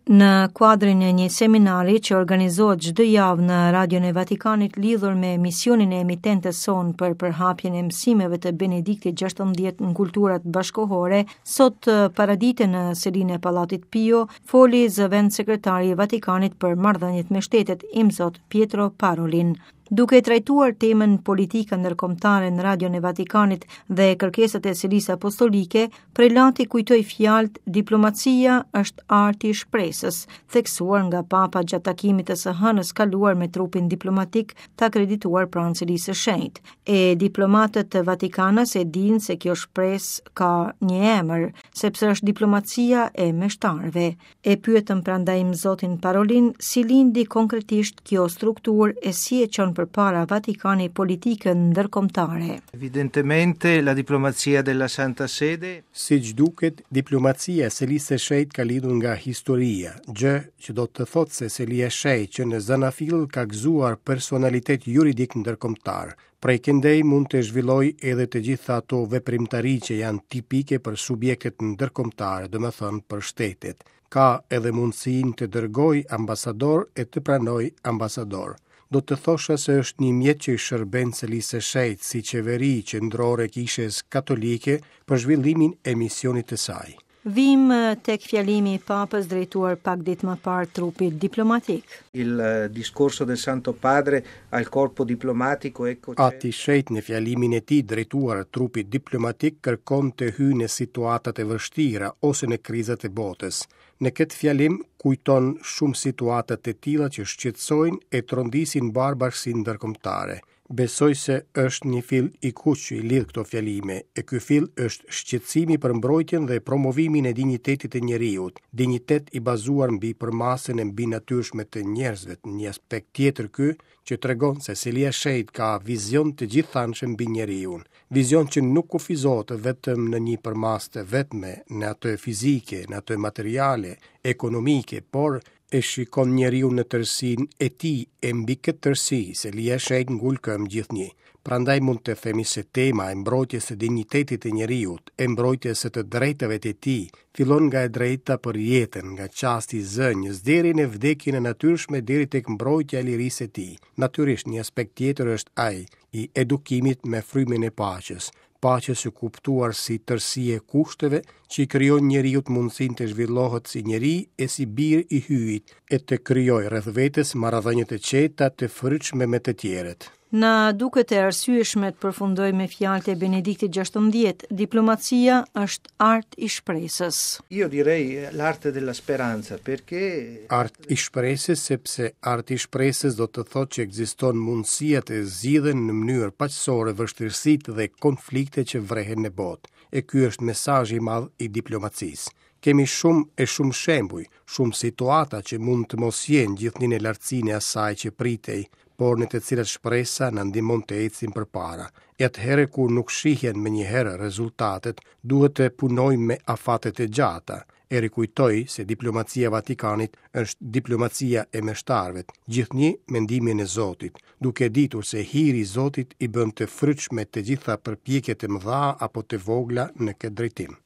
Në kuadrin e një seminari që organizohet çdo javë në Radion e Vatikanit lidhur me misionin e emitentes sonë për përhapjen e mësimeve të Benediktit XVI në kulturat bashkëkohore, sot paradite në selinë e Pallatit Pio, foli zëvendëssekretari i Vatikanit për marrëdhëniet me shtetet, Imzot Pietro Parolin. Duke trajtuar temën politika ndërkombëtare në Radion e Vatikanit dhe kërkesat e Selisë Apostolike, prelati kujtoi fjalët diplomacia është arti i shpresës, theksuar nga Papa gjatë takimit të së hënës kaluar me trupin diplomatik të akredituar pranë Selisë së Shenjtë. E diplomatët vatikanas e dinë se kjo shpresë ka një emër, sepse është diplomacia e meshtarëve. E pyetëm prandaj Imzotin Parolin si lindi konkretisht kjo strukturë e si e çon përpara Vatikani politikën ndërkombëtare. Evidentemente la diplomazia della Santa Sede Siç duket, diplomacia e Selisë së Shenjtë ka lindur nga historia, gjë që do të thotë se Selia e Shenjtë që në zanafillë ka gëzuar personalitet juridik ndërkombëtar. Prej këndej mund të zhvillojë edhe të gjitha ato veprimtari që janë tipike për subjektet ndërkombëtare, domethënë për shtetet. Ka edhe mundësinë të dërgojë ambasadorë e të pranojë ambasadorë. Do të thosha se është një mjet që i shërben Selisë së Shenjtë si qeveri qendrore e Kishës Katolike për zhvillimin e misionit të saj. Vijmë tek fjalimi i Papës drejtuar pak ditë më parë trupit diplomatik. Il discorso del Santo Padre al corpo diplomatico ecco Ati i Shenjtë në fjalimin e tij drejtuar trupit diplomatik kërkon të hyjë në situatat e vështira ose në krizat e botës. Në këtë fjalim kujton shumë situata të tilla që shqetësojnë e trondisin mbarë bashkësinë ndërkombëtare. Besoj se është një fill i kuq që i lidh këto fjalime, e ky fill është shqetësimi për mbrojtjen dhe promovimin e dinjitetit të njeriut, dinjitet i bazuar mbi përmasën e mbinatyrshme të njerëzve, një aspekt tjetër ky që tregon se Selia e Shenjtë ka vizion të gjithanshëm mbi njeriun, vizion që nuk kufizohet vetëm në një përmasë të vetme, në atë fizike, në atë materiale, ekonomike, por e shikon njeriun në tërësinë e tij e mbi këtë tërësi, Selia e Shenjtë ngul këmbë gjithnjë. Prandaj mund të themi se tema e mbrojtjes së dinjitetit të njeriut, e mbrojtjes së të drejtave të tij, fillon nga e drejta për jetën, nga çasti i zënies deri në vdekjen e natyrshme deri tek mbrojtja e lirisë së tij. Natyrisht një aspekt tjetër është ai i edukimit me frymën e paqes, paqes së kuptuar si tërësi e kushteve që i krijojnë njeriut mundësinë të zhvillohet si njeri e si bir i Hyjit e të krijojë rreth vetes marrëdhënie të qeta të frytshme me të tjerët. Na duket e arsyeshme të përfundojmë me fjalët e Benediktit XVI, diplomacia është art i shpresës. Io direi l'arte della speranza perché Art i shpresës sepse arti i shpresës do të thotë që ekziston mundësia të zgjidhen në mënyrë paqësore vështirësitë dhe konfliktet që vrehen në botë. E ky është mesazhi i madh i diplomacisë. Kemi shumë e shumë shembuj, shumë situata që mund të mos jenë gjithnjë në lartësinë e asaj që pritej, por në të cilat shpresa na ndihmon të ecim përpara. E atëherë kur nuk shihen menjëherë rezultatet, duhet të punojmë me afate të gjata. E rikujtoj se diplomacia e Vatikanit është diplomacia e meshtarëve, gjithnjë me ndihmën e Zotit, duke ditur se hiri i Zotit i bën të frytshme të gjitha përpjekjet e mëdha apo të vogla në këtë drejtim.